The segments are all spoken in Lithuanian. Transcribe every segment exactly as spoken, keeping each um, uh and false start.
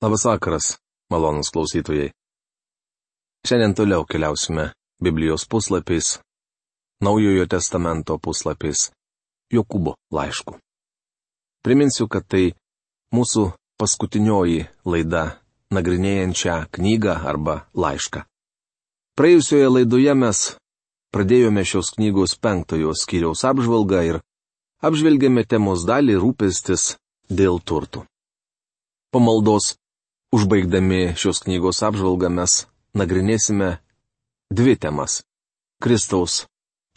Labas vakaras, malonūs klausytojai. Šiandien toliau keliausime Biblijos puslapiais, Naujojo testamento puslapiais, Jokūbo laišku. Priminsiu, kad tai mūsų paskutinioji laida nagrinėjant šią knygą arba laišką. Praėjusioje laidoje mes pradėjome šios knygos penktojo skyriaus apžvalgą ir apžvelgėme temos dalį rūpestis dėl turtų. Po maldos, užbaigdami šios knygos apžvalgą, mes nagrinėsime dvi temas - Kristaus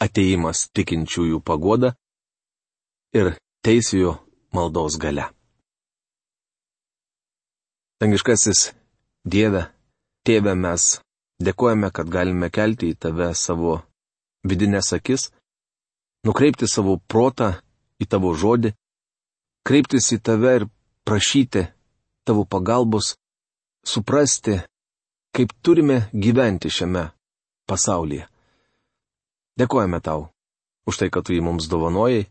atėjimas tikinčiųjų paguoda ir teisėjo maldos galia. Dangiškasis Dieve, Tėve, mes dėkojame, kad galime kelti į Tave savo vidinės akis, nukreipti savo protą į Tavo žodį, kreiptis į Tave ir prašyti Tavo pagalbos, suprasti, kaip turime gyventi šiame pasaulyje. Dėkojame Tau už tai, kad Tu jį mums dovanojai.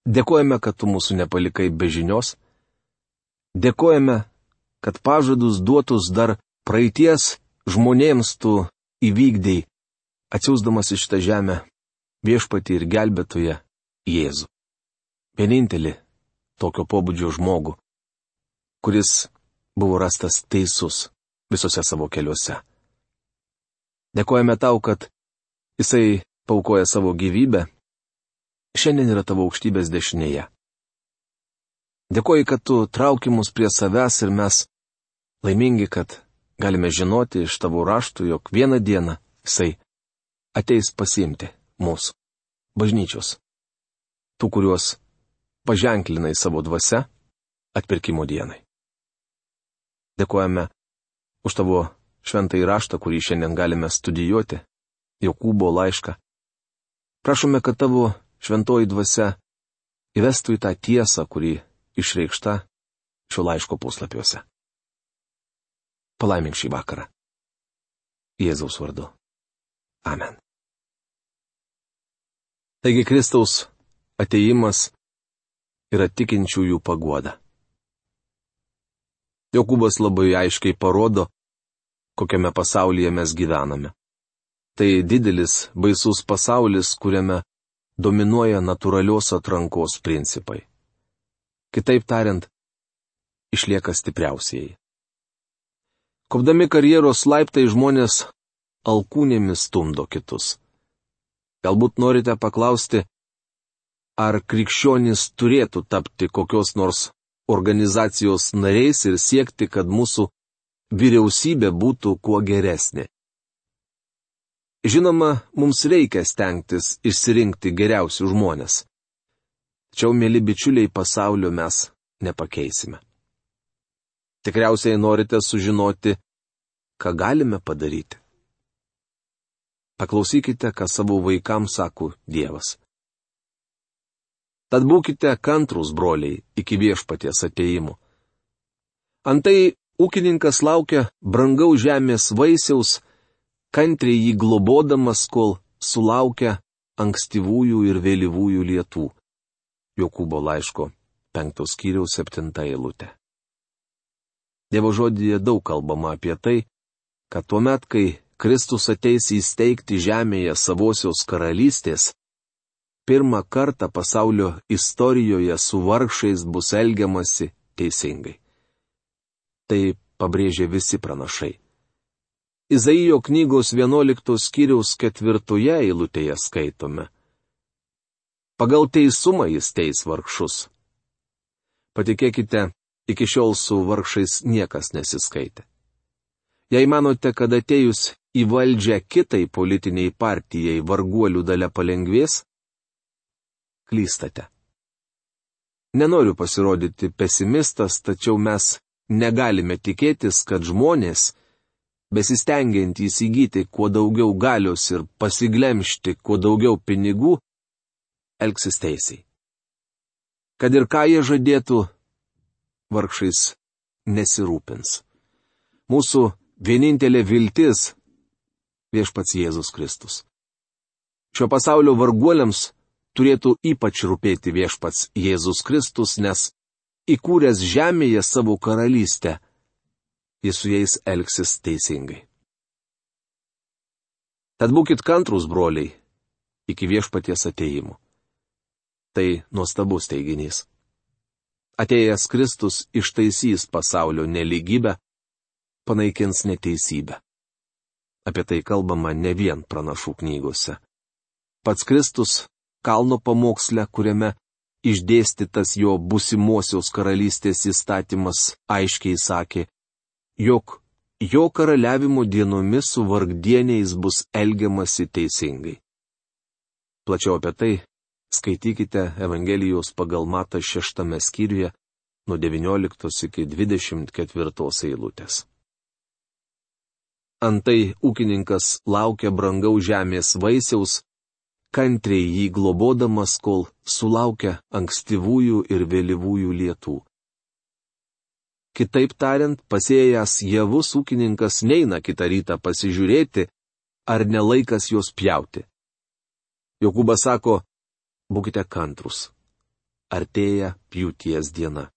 Dėkojame, kad Tu mūsų nepalikai be žinios. Dėkojame, kad pažadus duotus dar praeities žmonėms Tu įvykdei, atsiųsdamas iš tą žemę Viešpatį ir gelbėtoją Jėzų. Vienintelį tokio pobūdžio žmogų, kuris buvo rastas teisus visose savo keliuose. Dėkojame Tau, kad Jisai paukoja savo gyvybę, šiandien yra Tavo aukštybės dešinėje. Dėkoju, kad Tu trauki mus prie savęs ir mes laimingi, kad galime žinoti iš Tavo raštų, jog vieną dieną Jisai ateis pasiimti mūsų, bažnyčios, tų, kuriuos paženklinai savo dvasia atpirkimo dienai. Dėkojame už Tavo šventąjį raštą, kurį šiandien galime studijuoti, Jokūbo laišką. Prašome, kad Tavo šventoji dvasia įvestų į tą tiesą, kuri išreikšta šio laiško puslapiuose. Palaimink šį vakarą. Jėzaus vardu. Amen. Taigi Kristaus atėjimas yra tikinčiųjų paguoda. Jokūbas labai aiškiai parodo, kokiame pasaulyje mes gyvename. Tai didelis, baisus pasaulis, kuriame dominuoja natūralios atrankos principai. Kitaip tariant, išlieka stipriausieji. Kopdami karjeros laiptai žmonės alkūnėmis stumdo kitus. Galbūt norite paklausti, ar krikščionys turėtų tapti kokios nors organizacijos nariais ir siekti, kad mūsų vyriausybė būtų kuo geresnė. Žinoma, mums reikia stengtis išsirinkti geriausius žmonės. Tačiau, mėly bičiuliai, pasaulio mes nepakeisime. Tikriausiai norite sužinoti, ką galime padaryti. Paklausykite, ką savo vaikams sako Dievas. Tad būkite kantrūs, broliai, iki Viešpaties atėjimo. Antai ūkininkas laukia brangaus žemės vaisiaus, kantriai jį globodamas, kol sulaukia ankstyvųjų ir vėlyvųjų lietų. Jokūbo laiško penktos skyriaus septinta eilutė. Dievo žodyje daug kalbama apie tai, kad tuomet, kai Kristus ateis įsteigti žemėje savosios karalystės, pirmą kartą pasaulio istorijoje su vargšais bus elgiamasi teisingai. Tai pabrėžė visi pranašai. Izaijo knygos vienuoliktos skyriaus ketvirtoje eilutėje skaitome. Pagal teisumą jis teis vargšus. Patikėkite, iki šiol su vargšais niekas nesiskaitė. Jei manote, kad atėjus į valdžią kitai politiniai partijai varguolių dalia palengvės, klystate. Nenoriu pasirodyti pesimistas, tačiau mes negalime tikėtis, kad žmonės, besistengiant įsigyti kuo daugiau galios ir pasiglemžti kuo daugiau pinigų, elgsis teisiai. Kad ir ką jie žadėtų, vargšais nesirūpins. Mūsų vienintelė viltis - Viešpats Jėzus Kristus. Šio pasaulio varguoliams turėtų ypač rūpėti Viešpats Jėzus Kristus, nes įkūręs žemėje savo karalystę, jis su jais elgsis teisingai. Tad būkit kantrūs, broliai, iki viešpaties atėjimo. Tai nuostabus teiginys. Atėjęs Kristus ištaisys pasaulio nelygybę, panaikins neteisybę. Apie tai kalbama ne vien pranašų knygose. Pats Kristus kalno pamoksle, kuriame išdėstytas jo būsimosios karalystės įstatymas, aiškiai sakė, jog jo karaliavimo dienomis su vargdieniais bus elgiamasi teisingai. Plačiau apie tai skaitykite Evangelijos pagal Matą šeštame skyriuje nuo devynioliktos iki dvidešimt ketvirtos eilutės. Antai ūkininkas laukia brangaus žemės vaisiaus, kantriai jį globodamas, kol sulaukia ankstyvųjų ir vėlyvųjų lietų. Kitaip tariant, pasėjęs javus ūkininkas neina kitą rytą pasižiūrėti, ar nelaikas juos pjauti. Jokūbas sako, būkite kantrūs, artėja pjūties diena.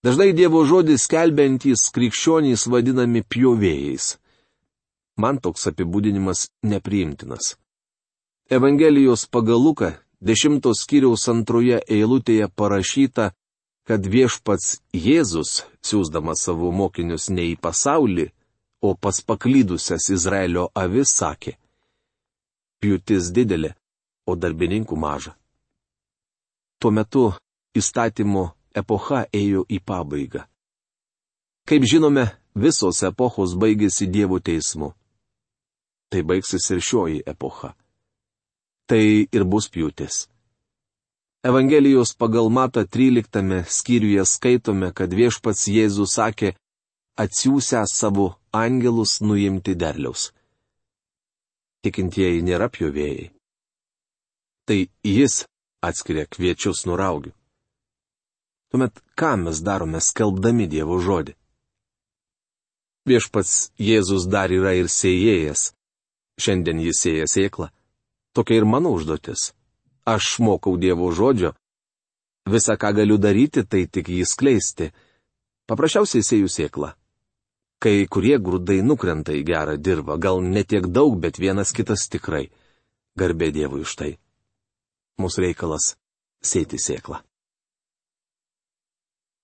Dažnai Dievo žodį skelbiantys krikščionys vadinami pjovėjais. Man toks apibūdinimas nepriimtinas. Evangelijos pagal Luką dešimtos skyriaus antroje eilutėje parašyta, kad viešpats Jėzus, siųsdamas savo mokinius ne į pasaulį, o pas paklydusias Izraelio avis sakė, pjūtis didelė, o darbininkų maža. Tuo metu įstatymo epocha ėjo į pabaigą. Kaip žinome, visos epochos baigėsi Dievo teismu. Tai baigsis ir šioji epocha. Tai ir bus pjūtis. Evangelijos pagal Matą tryliktame skyriuje skaitome, kad viešpats Jėzus sakė, atsiųsęs savo angelus nuimti derliaus. Tikintieji nėra pjovėjai. Tai jis atskiria kviečius nuo raugių. Tuomet ką mes darome skelbdami Dievo žodį? Viešpats Jėzus dar yra ir sėjėjas. Šiandien jis sėja sėklą. Tokia ir mano užduotis. Aš mokau Dievo žodžio. Visa, ką galiu daryti, tai tik jį skleisti. Paprasčiausiai sėju sėklą. Kai kurie grūdai nukrenta į gerą dirvą, gal ne tiek daug, bet vienas kitas tikrai. Garbė Dievui už tai. Mūsų reikalas sėti sėklą.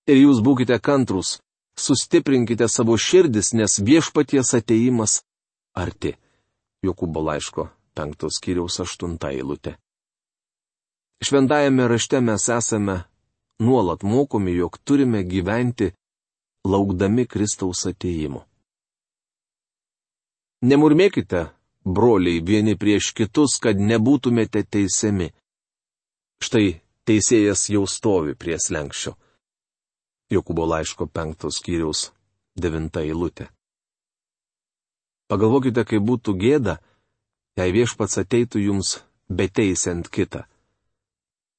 Ir jūs būkite kantrūs, sustiprinkite savo širdis, nes viešpaties atėjimas arti. Jokūbo laiško penktos skyriaus aštunta eilutė. Šventajame rašte mes esame nuolat mokomi, jog turime gyventi laukdami Kristaus atėjimo. Nemurmėkite, broliai, vieni prieš kitus, kad nebūtumėte teisiami. Štai teisėjas jau stovi prie slenksčio. Jokūbo laiško penktos skyriaus devinta eilutė. Pagalvokite, kaip būtų gėda, jei viešpats ateitų jums beteisiant kitą.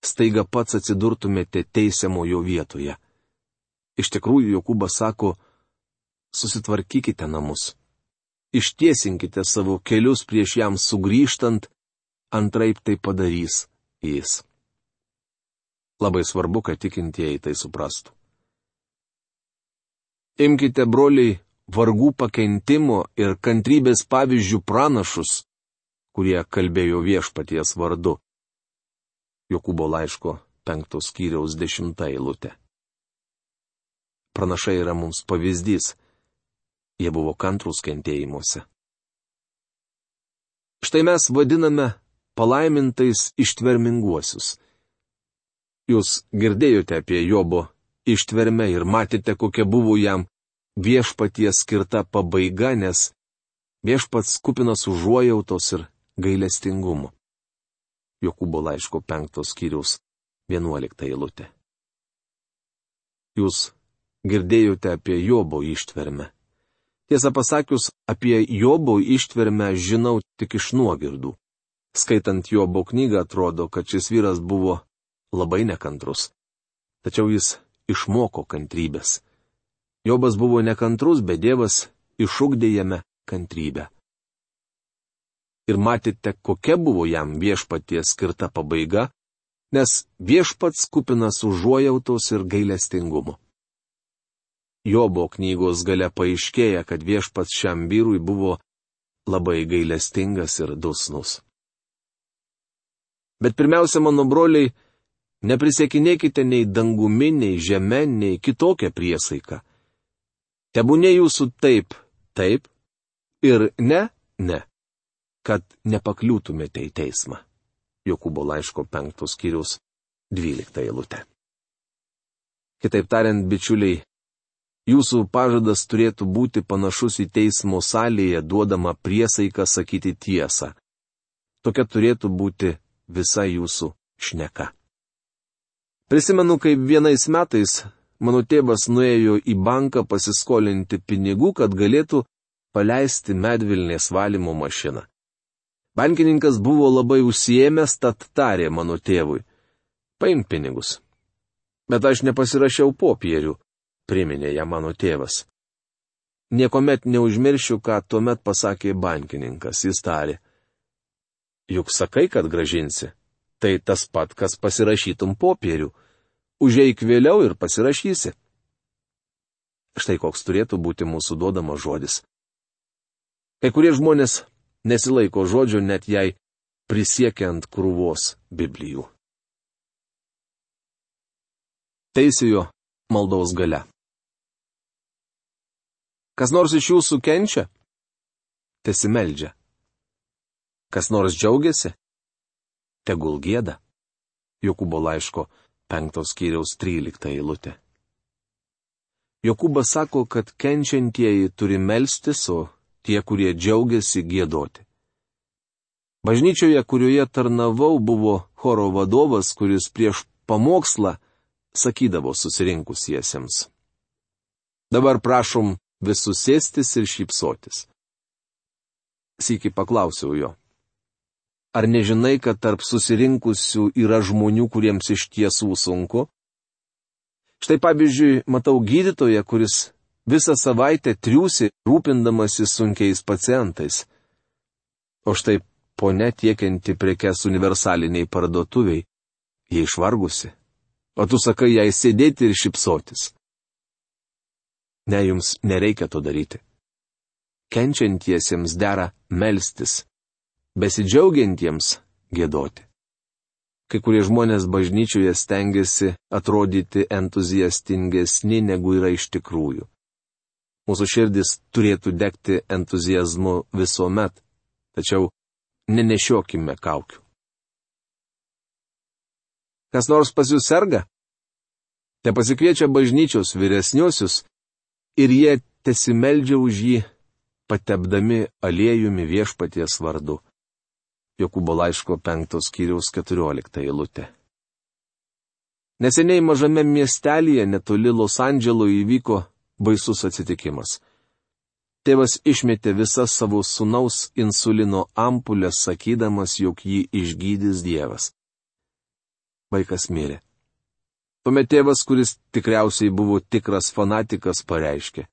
Staiga pats atsidurtumėte teisiamojo vietoje. Iš tikrųjų, Jokūbas sako, susitvarkykite namus. Ištiesinkite savo kelius prieš jam sugrįžtant, antraip tai padarys jis. Labai svarbu, kad tikintieji tai suprastų. Imkite, broliai, vargų pakentimo ir kantrybės pavyzdžių pranašus, kurie kalbėjo viešpaties vardu. Jokūbo laiško penktos skyriaus dešimta eilutė. Pranašai yra mums pavyzdys. Jie buvo kantrūs kentėjimuose. Štai mes vadiname palaimintais ištverminguosius. Jūs girdėjote apie Jobo ištvermę ir matėte, kokia buvo jam viešpaties skirta pabaiga, nes viešpats kupinas užuojautos ir gailestingumo. Jokūbo laiško penktos skyriaus vienuolikta eilutė. Jūs girdėjote apie Jobo ištvermę. Tiesą pasakius, apie Jobo ištvermę žinau tik iš nuogirdų. Skaitant Jobo knygą atrodo, kad šis vyras buvo labai nekantrus. Tačiau jis išmoko kantrybės. Jobas buvo nekantrus, bet Dievas išugdė jame kantrybę. Ir matėte, kokia buvo jam viešpaties skirta pabaiga, nes viešpats kupinas užuojautos ir gailestingumo. Jobo knygos gale paaiškėja, kad viešpats šiam vyrui buvo labai gailestingas ir dosnus. Bet pirmiausia, mano broliai, neprisiekinėkite nei dangumi, nei žeme, nei kitokią priesaiką. Tebūnė jūsų taip, taip ir ne, ne, kad nepakliūtumėte į teismą. Jokūbo laiško penktos skyriaus dvylikta eilutė. Kitaip tariant, bičiuliai, jūsų pažadas turėtų būti panašus į teismo salėje duodamą priesaiką sakyti tiesą. Tokia turėtų būti visa jūsų šneka. Prisimenu, kaip vienais metais mano tėvas nuėjo į banką pasiskolinti pinigų, kad galėtų paleisti medvilnės valymo mašiną. Bankininkas buvo labai užsiėmęs, tad tarė mano tėvui: paimk pinigus. Bet aš nepasirašiau popierių, priminė ją mano tėvas. Niekuomet neužmiršiu, ką tuomet pasakė bankininkas. Jis tarė: juk sakai, kad gražinsi. Tai tas pat, kas pasirašytum popierių. Užeik vėliau ir pasirašysi. Štai koks turėtų būti mūsų duodamas žodis. Kai kurie žmonės nesilaiko žodžio, net jei prisiekia ant krūvos Biblijų. Teisiojo maldos galia. Kas nors iš jūsų kenčia? Tesimeldžia. Kas nors džiaugiasi? Tegul gieda. Jokūbo laiško penktos skyriaus trylikta eilutė. Jokūbas sako, kad kenčiantieji turi melstis, o tie, kurie džiaugiasi, giedoti. Bažnyčioje, kurioje tarnavau, buvo choro vadovas, kuris prieš pamokslą sakydavo susirinkusiesiems: dabar prašom visus sėstis ir šypsotis. Sykį paklausiau jo: ar nežinai, kad tarp susirinkusių yra žmonių, kuriems iš tiesų sunku? Štai pavyzdžiui, matau gydytoją, kuris visą savaitę triūsi rūpindamasi sunkiais pacientais. O štai ponia tiekianti prekes universaliniai parduotuviai, jie išvargusi. O tu sakai jai sėdėti ir šypsotis. Ne, jums nereikia to daryti. Kenčiantiesiems dera melstis, besidžiaugiantiems giedoti. Kai kurie žmonės bažnyčioje stengiasi atrodyti entuziastingesni, negu yra iš tikrųjų. Mūsų širdis turėtų degti entuziazmu visuomet, tačiau nenešiokime kaukių. Kas nors pas jūs serga? Te pasikviečia bažnyčios vyresniuosius ir jie tesimeldžia už jį, patepdami aliejumi viešpaties vardu. Jokūbo laiško penktos skyriaus keturiolikta eilutė. Neseniai mažame miestelėje netoli Los Andželo įvyko baisus atsitikimas. Tėvas išmetė visas savo sūnaus insulino ampulės, sakydamas, jog jį išgydys Dievas. Vaikas mirė. Tuomet tėvas, kuris tikriausiai buvo tikras fanatikas, pareiškė: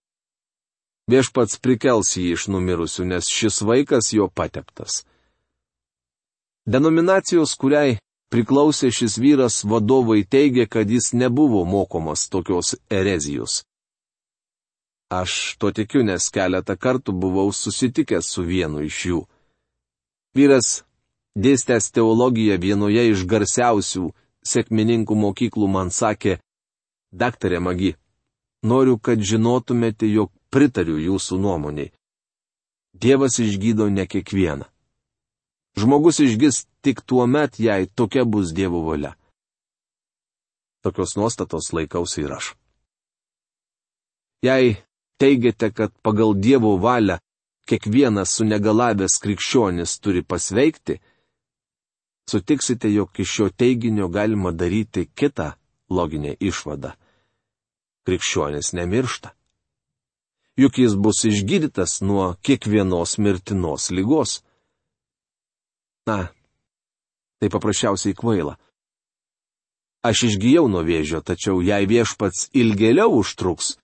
viešpats prikels jį iš numirusių, nes šis vaikas jo pateptas. Denominacijos, kuriai priklausė šis vyras, vadovai teigia, kad jis nebuvo mokomas tokios erezijos. Aš to tikiu, nes keletą kartų buvau susitikęs su vienu iš jų. Vyras, dėstęs teologiją vienoje iš garsiausių sekmininkų mokyklų, man sakė: daktare Magi, noriu, kad žinotumėte, jog pritariu jūsų nuomoniai. Dievas išgydo ne kiekvieną. Žmogus išgis tik tuo met, jei tokia bus Dievo valia. Tokios nuostatos laikausi ir aš. Jei teigiate, kad pagal Dievo valią kiekvienas sunegalavęs krikščionis turi pasveikti, sutiksite, jog iš šio teiginio galima daryti kitą loginę išvadą. Krikščionis nemiršta. Juk jis bus išgydytas nuo kiekvienos mirtinos ligos. Na, tai paprasčiausiai kvaila. Aš išgijau nuo vėžio, tačiau jei viešpats ilgėliau užtruks,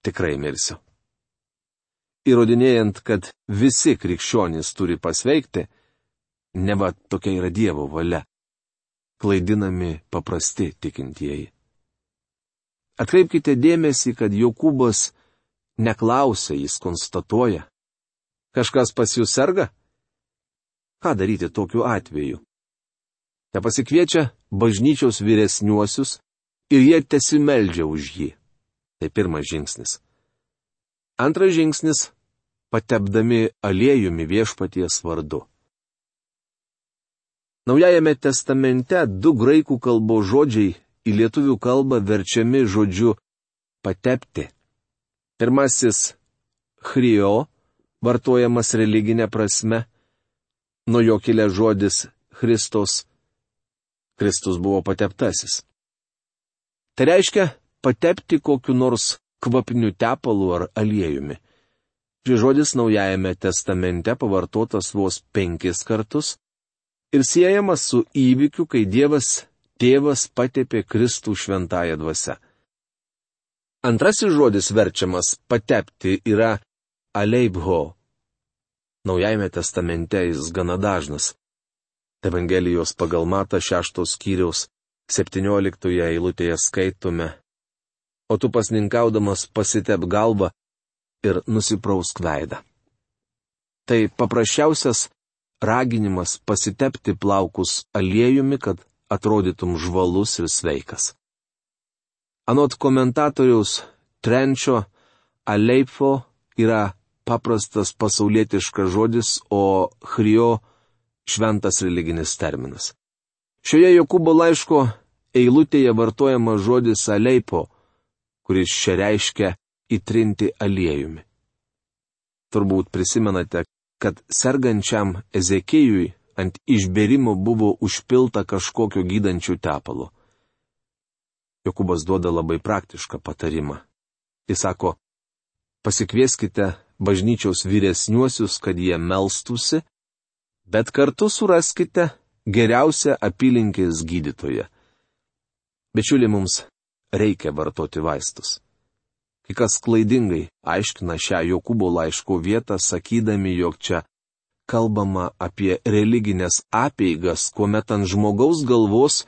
tikrai mirsiu. Įrodinėjant, kad visi krikščionys turi pasveikti, neva tokia yra Dievo valia, klaidinami paprasti tikintieji. Atkreipkite dėmesį, kad Jokūbas neklausia, jis konstatuoja. Kažkas pas jūs serga? Ką daryti tokiu atveju? Te pasikviečia bažnyčios vyresniuosius ir jie tesimeldžia už jį. Tai pirmas žingsnis. Antras žingsnis - patepdami aliejumi viešpaties vardu. Naujajame testamente du graikų kalbos žodžiai į lietuvių kalbą verčiami žodžiu patepti. Pirmasis - chrio, vartojamas religinė prasme, nuo jo kilęs žodis Kristos. Kristus buvo pateptasis. Tai reiškia patepti kokiu nors kvapiniu tepalu ar aliejumi. Šis žodis Naujajame testamente pavartotas vos penkis kartus ir siejamas su įvykiu, kai Dievas Tėvas patepė Kristų šventąją dvasią. Antrasis žodis verčiamas patepti yra aleibho. Naujajame testamente jis gana dažnas. Evangelijos pagal Matą šeštos skyriaus septynioliktoje eilutėje skaitome: O tu pasninkaudamas pasitep galvą ir nusiprausk veidą. Tai paprasčiausias raginimas pasitepti plaukus aliejumi, kad atrodytum žvalus ir sveikas. Anot komentatoriaus Trenčio, aleipho yra paprastas pasaulietiškas žodis, o chrio šventas religinis terminas. Šioje Jokūbo laiško eilutėje vartojamas žodis aleipo, kuris čia reiškia įtrinti aliejumi. Turbūt prisimenate, kad sergančiam Ezekijui ant išbėrimo buvo užpilta kažkokio gydančių tepalo. Jokūbas duoda labai praktišką patarimą. Jis sako, pasikvieskite bažnyčios vyresniuosius, kad jie melstųsi, bet kartu suraskite geriausią apylinkės gydytoją. Bičiuli, mums reikia vartoti vaistus. Kai kas klaidingai aiškina šią Jokūbo laiško vietą, sakydami, jog čia kalbama apie religinės apeigas, kuomet ant žmogaus galvos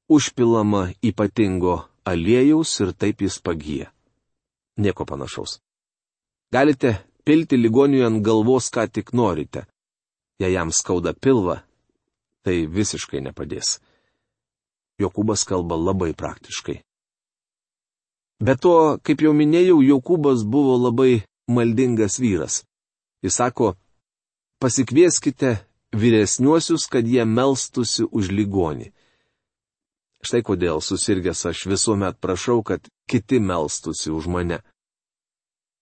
užpilama ypatingo aliejaus ir taip jis pagyja. Nieko panašaus. Galite pilti ligoniui ant galvos, ką tik norite. Jei jam skauda pilvą, tai visiškai nepadės. Jokūbas kalba labai praktiškai. Be to, kaip jau minėjau, Jokūbas buvo labai maldingas vyras. Jis sako, pasikvieskite vyresniuosius, kad jie melstųsi už ligonį. Štai kodėl susirgęs aš visuomet prašau, kad kiti melstųsi už mane.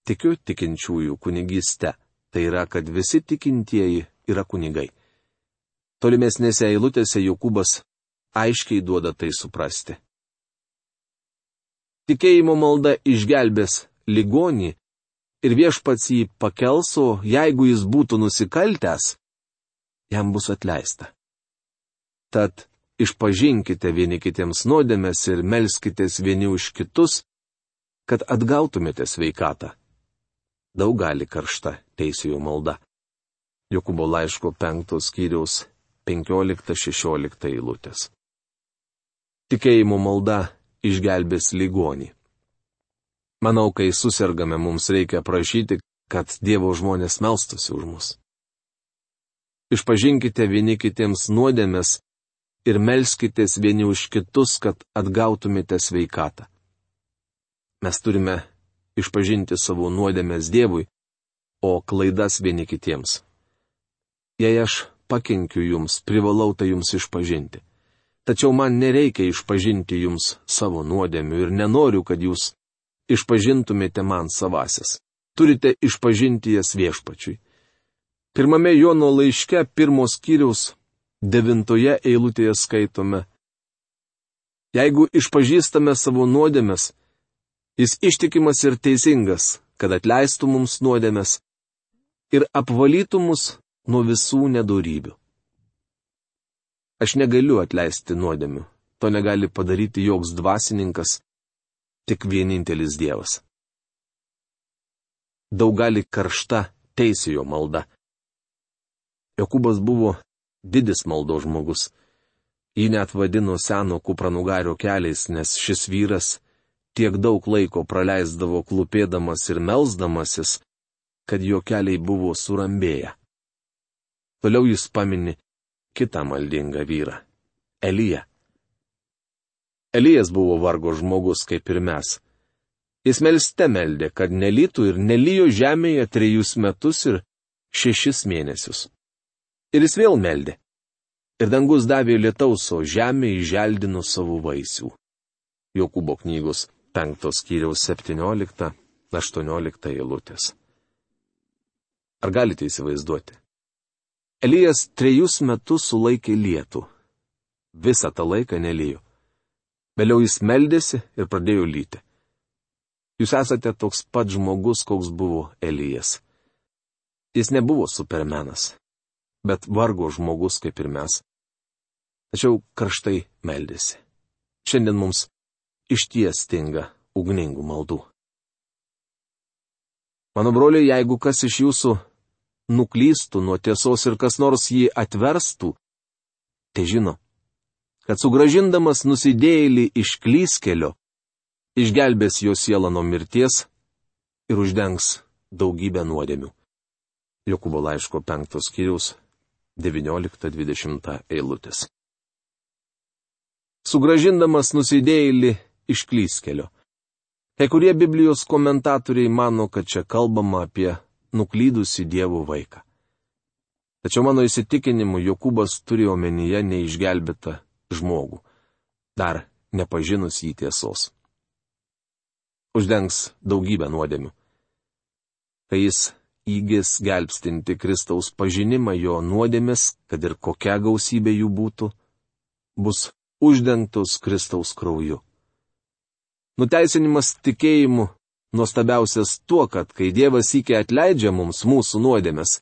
Tikiu tikinčiųjų kunigyste, tai yra, kad visi tikintieji yra kunigai. Tolimesnėse eilutėse Jokūbas aiškiai duoda tai suprasti. Tikėjimo malda išgelbės ligonį ir viešpats jį pakels, o jeigu jis būtų nusikaltęs, jam bus atleista. Tad išpažinkite vieni kitiems nuodėmes ir melskitės vieni už kitus, kad atgautumėte sveikatą. Daug gali karšta teisėjo malda. Jokūbo laiško penktos skyriaus penkiolikta šešiolikta eilutės. Tikėjimo malda išgelbės ligonį. Manau, kai susirgame, mums reikia prašyti, kad Dievo žmonės melstųsi už mus. Išpažinkite vieni kitiems nuodėmes ir melskitės vieni už kitus, kad atgautumėte sveikatą. Mes turime išpažinti savo nuodėmes Dievui, o klaidas vieni kitiems. Jei aš pakenkiu jums, privalau tai jums išpažinti. Tačiau man nereikia išpažinti jums savo nuodėmių ir nenoriu, kad jūs išpažintumėte man savasias. Turite išpažinti jas viešpačiui. Pirmame Jono laiške pirmos skyriaus devintoje eilutėje skaitome: Jeigu išpažįstame savo nuodėmes, jis ištikimas ir teisingas, kad atleistų mums nuodėmes ir apvalytų mus nuo visų nedorybių. Aš negaliu atleisti nuodėmių, to negali padaryti joks dvasininkas, tik vienintelis Dievas. Daug gali karšta teisėjo malda. Jokūbas buvo didis maldos žmogus. Jį net vadino seno kupranugario keliais, nes šis vyras tiek daug laiko praleisdavo klūpėdamas ir melsdamasis, kad jo keliai buvo surambėję. Toliau jis pamini kitą maldingą vyrą - Eliją. Elijas buvo vargo žmogus kaip ir mes. Jis melste meldė, kad nelytų ir nelijo žemėje trejus metus ir šešis mėnesius. Ir jis vėl meldė. Ir dangus davė lietaus, o žemė įželdino savo vaisių. Jokūbo knygos penktos skyriaus septyniolikta aštuoniolikta eilutės. Ar galite įsivaizduoti? Elijas trejus metus sulaikė lietų. Visą tą laiką nelijo. Vėliau jis meldėsi ir pradėjo lyti. Jūs esate toks pat žmogus, koks buvo Elijas. Jis nebuvo supermenas, bet vargo žmogus kaip ir mes. Tačiau karštai meldėsi. Šiandien mums išties stinga ugningų maldų. Mano broliai, jeigu kas iš jūsų nuklystų nuo tiesos ir kas nors jį atverstų, tai žino, kad sugrąžindamas nusidėjėlį iš klystkelio, išgelbės jo sielą nuo mirties ir uždengs daugybę nuodėmių. Jokūbo laiško penktos skyriaus devyniolikta dvidešimta eilutės. Sugrąžindamas nusidėjėlį iš klystkelio. Kai kurie Biblijos komentatoriai mano, kad čia kalbama apie nuklydusį Dievo vaiką. Tačiau mano įsitikinimu Jokūbas turi omenyje neišgelbėtą žmogų, dar nepažinus jį tiesos. Uždengs daugybę nuodėmių. Kai jis įgis gelbstinti Kristaus pažinimą, jo nuodėmės, kad ir kokia gausybė jų būtų, bus uždengtos Kristaus krauju. Nuteisinimas tikėjimu nuostabiausias tuo, kad kai Dievas įkė atleidžia mums mūsų nuodėmės,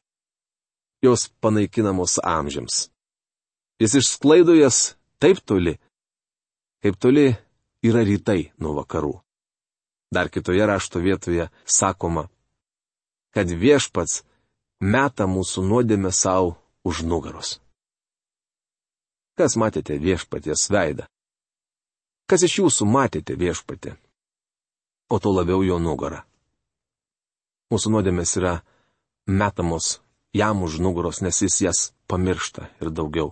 jos panaikinamos amžiams. Jis išsklaido jas taip toli, kaip toli yra rytai nuo vakarų. Dar kitoje rašto vietoje sakoma, kad viešpats meta mūsų nuodėmę savo už nugaros. Kas matėte viešpaties veidą? Kas iš jūsų matėte viešpatį? O to labiau jo nugarą. Mūsų nuodėmės yra metamos jam už nugaros, nes jis jas pamiršta ir daugiau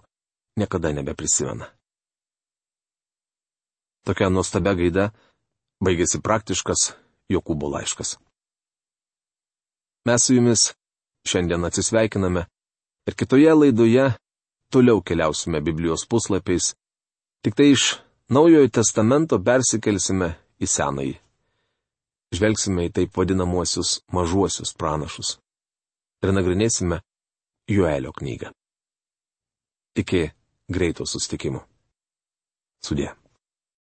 niekada nebeprisimena. Tokia nuostabia gaida baigėsi praktiškas Jokūbo laiškas. Mes su jumis šiandien atsisveikiname ir kitoje laidoje toliau keliausime Biblijos puslapiais, tik tai iš Naujojo testamento persikelsime į Senąjį. Žvelgsime į taip vadinamuosius mažuosius pranašus ir nagrinėsime Joelio knygą. Iki greito susitikimo. Sudie.